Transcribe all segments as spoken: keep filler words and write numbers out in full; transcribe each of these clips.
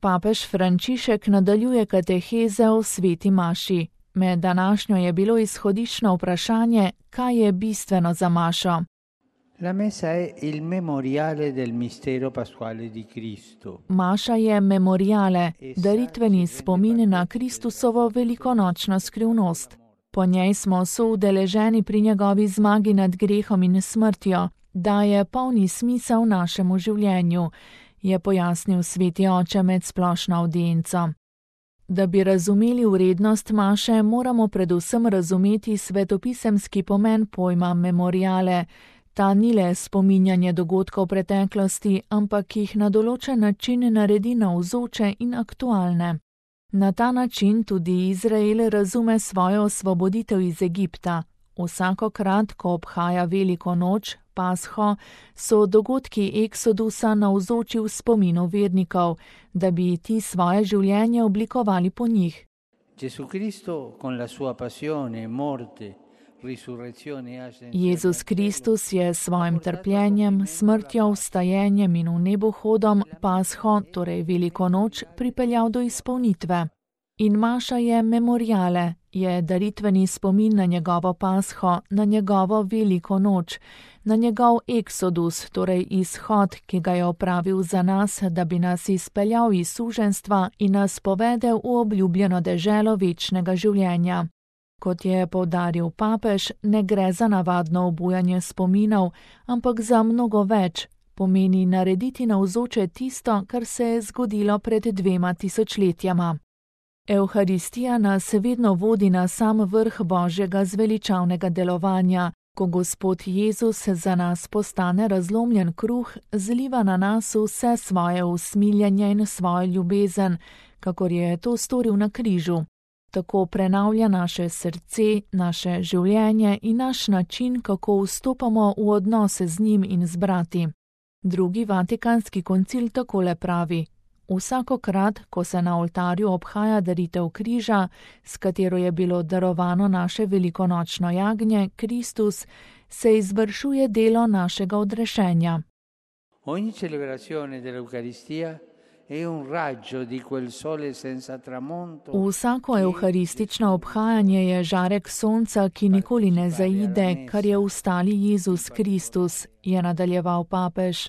Papež Frančišek nadaljuje kateheze o sveti maši. Med današnjo je bilo izhodiščno vprašanje, kaj je bistveno za mašo. La messa è il memoriale del mistero pasquale di Cristo. Maša je memoriale, daritveni spomin na Kristusovo velikonočno skrivnost. Po njej smo soudeleženi pri njegovi zmagi nad grehom in smrtjo, daje polni smisel našemu življenju, je pojasnil sveti oče med splošno avdienco. Da bi razumeli vrednost maše, moramo predvsem razumeti svetopisemski pomen pojma memoriale. Ta ni le spominjanje dogodkov preteklosti, ampak jih na določen način naredi navzoče in aktualne. Na ta način tudi Izrael razume svojo osvoboditev iz Egipta. Vsakokrat, ko obhaja veliko noč, Pasho, so dogodki Eksodusa navzoči v spominu vernikov, da bi ti svoje življenje oblikovali po njih. Gesù Cristo con la sua passione, morte, Jezus Kristus je s svojim trpljenjem, smrtjo, vstajenjem in v nebohodom Pasho, torej veliko noč, pripeljal do izpolnitve. In maša je memoriale, je daritveni spomin na njegovo Pasho, na njegovo veliko noč, na njegov eksodus, torej izhod, ki ga je opravil za nas, da bi nas izpeljal iz suženjstva in nas povedel v obljubljeno deželo večnega življenja. Kot je poudaril papež, ne gre za navadno obujanje spominov, ampak za mnogo več, pomeni narediti navzoče tisto, kar se je zgodilo pred dvema tisočletjama. Evharistija nas vedno vodi na sam vrh Božjega zveličavnega delovanja, ko Gospod Jezus za nas postane razlomljen kruh, zliva na nas vse svoje usmiljenje in svojo ljubezen, kakor je to storil na križu. Tako prenavlja naše srce, naše življenje in naš način, kako vstopamo v odnose z njim in z brati. Drugi vatikanski koncil takole pravi: vsakokrat, ko se na oltarju obhaja daritev križa, s katero je bilo darovano naše velikonočno jagnje, Kristus, se izvršuje delo našega odrešenja. Ogni celebrazione dell'Eucaristia è un raggio di quel sole senza tramonto. Vsako evharistično obhajanje je žarek sonca, ki nikoli ne zaide, kar je ustali Jezus Kristus, je nadaljeval papež.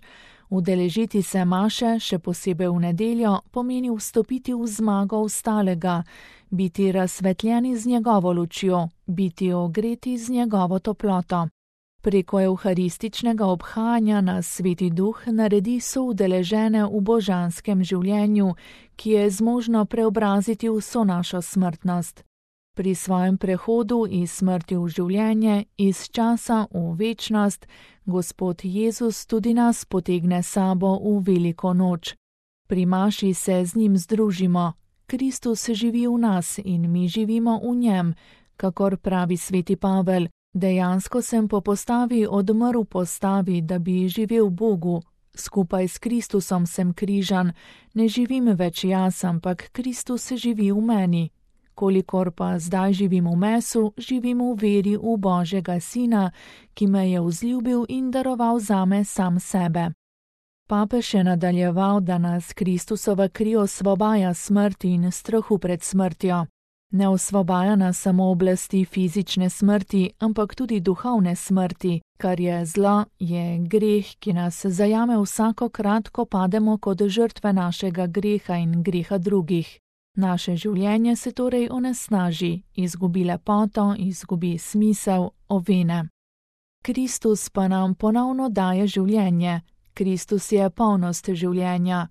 Udeležiti se maše, še posebej v nedeljo, pomeni vstopiti v zmago ustalega, biti razsvetljeni z njegovo lučjo, biti ogreti z njegovo toploto. Preko evharističnega obhajanja nas Sveti Duh naredi soudeležene v božanskem življenju, ki je zmožno preobraziti vso našo smrtnost. Pri svojem prehodu iz smrti v življenje, iz časa v večnost, Gospod Jezus tudi nas potegne sabo v veliko noč. Pri maši se z njim združimo. Kristus živi v nas in mi živimo v njem, kakor pravi sveti Pavel. Dejansko sem po postavi odmrl postavi, da bi živel Bogu. Skupaj s Kristusom sem križan, ne živim več jaz, ampak Kristus živi v meni. Kolikor pa zdaj živim v mesu, živim v veri v Božjega Sina, ki me je vzljubil in daroval zame sam sebe. Papež je nadaljeval, da nas Kristusova kri osvobaja smrti in strahu pred smrtjo. Ne osvobaja nas samo oblasti fizične smrti, ampak tudi duhovne smrti. Kar je zlo, je greh, ki nas zajame vsakokrat, ko pademo kot žrtve našega greha in greha drugih. Naše življenje se torej onesnaži, izgubi lepoto, izgubi smisel, ovene. Kristus pa nam ponovno daje življenje. Kristus je polnost življenja.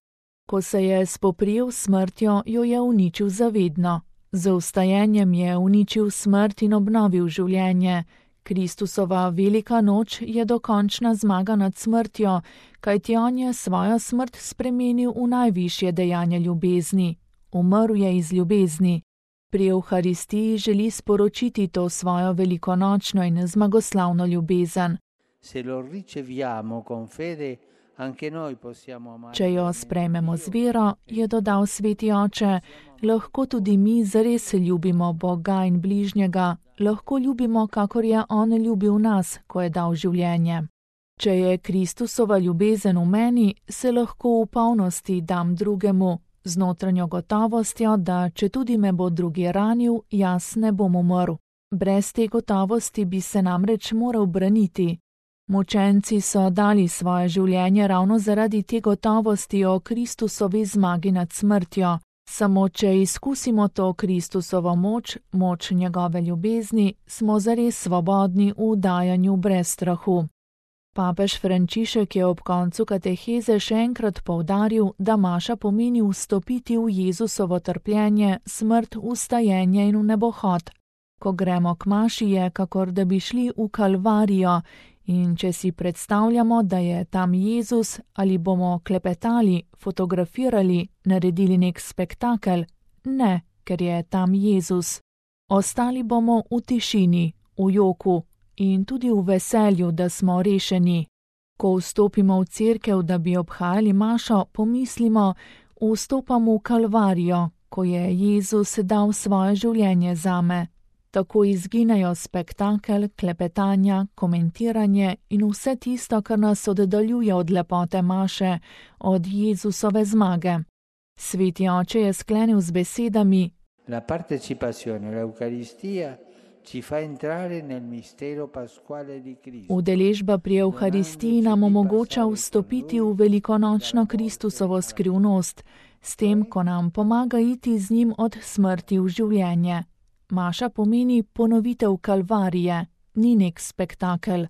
Ko se je spoprijel s smrtjo, jo je uničil zavedno. Z vstajenjem je uničil smrt in obnovil življenje. Kristusova velika noč je dokončna zmaga nad smrtjo, kajti on je svojo smrt spremenil v najvišje dejanje ljubezni. Umrl je iz ljubezni. Pri Evharistiji želi sporočiti to svojo velikonočno in zmagoslavno ljubezen. Če jo sprejmemo z vero, je dodal sveti oče, lahko tudi mi zares ljubimo Boga in bližnjega, lahko ljubimo, kakor je on ljubil nas, ko je dal življenje. Če je Kristusova ljubezen v meni, se lahko v polnosti dam drugemu, z notranjo gotovostjo, da če tudi me bo drugi ranil, jaz ne bom umrl. Brez te gotovosti bi se namreč moral braniti. Mučenci so dali svoje življenje ravno zaradi te gotovosti o Kristusovi zmagi nad smrtjo. Samo če izkusimo to Kristusovo moč, moč njegove ljubezni, smo zares svobodni v dajanju brez strahu. Papež Frančišek je ob koncu kateheze še enkrat poudaril, da maša pomeni vstopiti v Jezusovo trpljenje, smrt, vstajenje in v nebohod. Ko gremo k maši, je kakor da bi šli v Kalvarijo, in če si predstavljamo, da je tam Jezus, ali bomo klepetali, fotografirali, naredili nek spektakel? Ne, ker je tam Jezus. Ostali bomo v tišini, v joku in tudi v veselju, da smo rešeni. Ko vstopimo v cerkev, da bi obhajali mašo, pomislimo, vstopam v Kalvarijo, ko je Jezus dal svoje življenje zame. Tako izginejo spektakel, klepetanja, komentiranje in vse tisto, kar nas oddaljuje od lepote maše, od Jezusove zmage. Sveti oče je sklenil z besedami: La partecipazione all'Eucaristia ci fa entrare nel mistero pasquale di Cristo. Udeležba pri Evharistiji nam omogoča vstopiti v velikonočno Kristusovo skrivnost, s tem, ko nam pomaga iti z njim od smrti v življenje. Maša pomeni ponovitev Kalvarije, ni nek spektakel.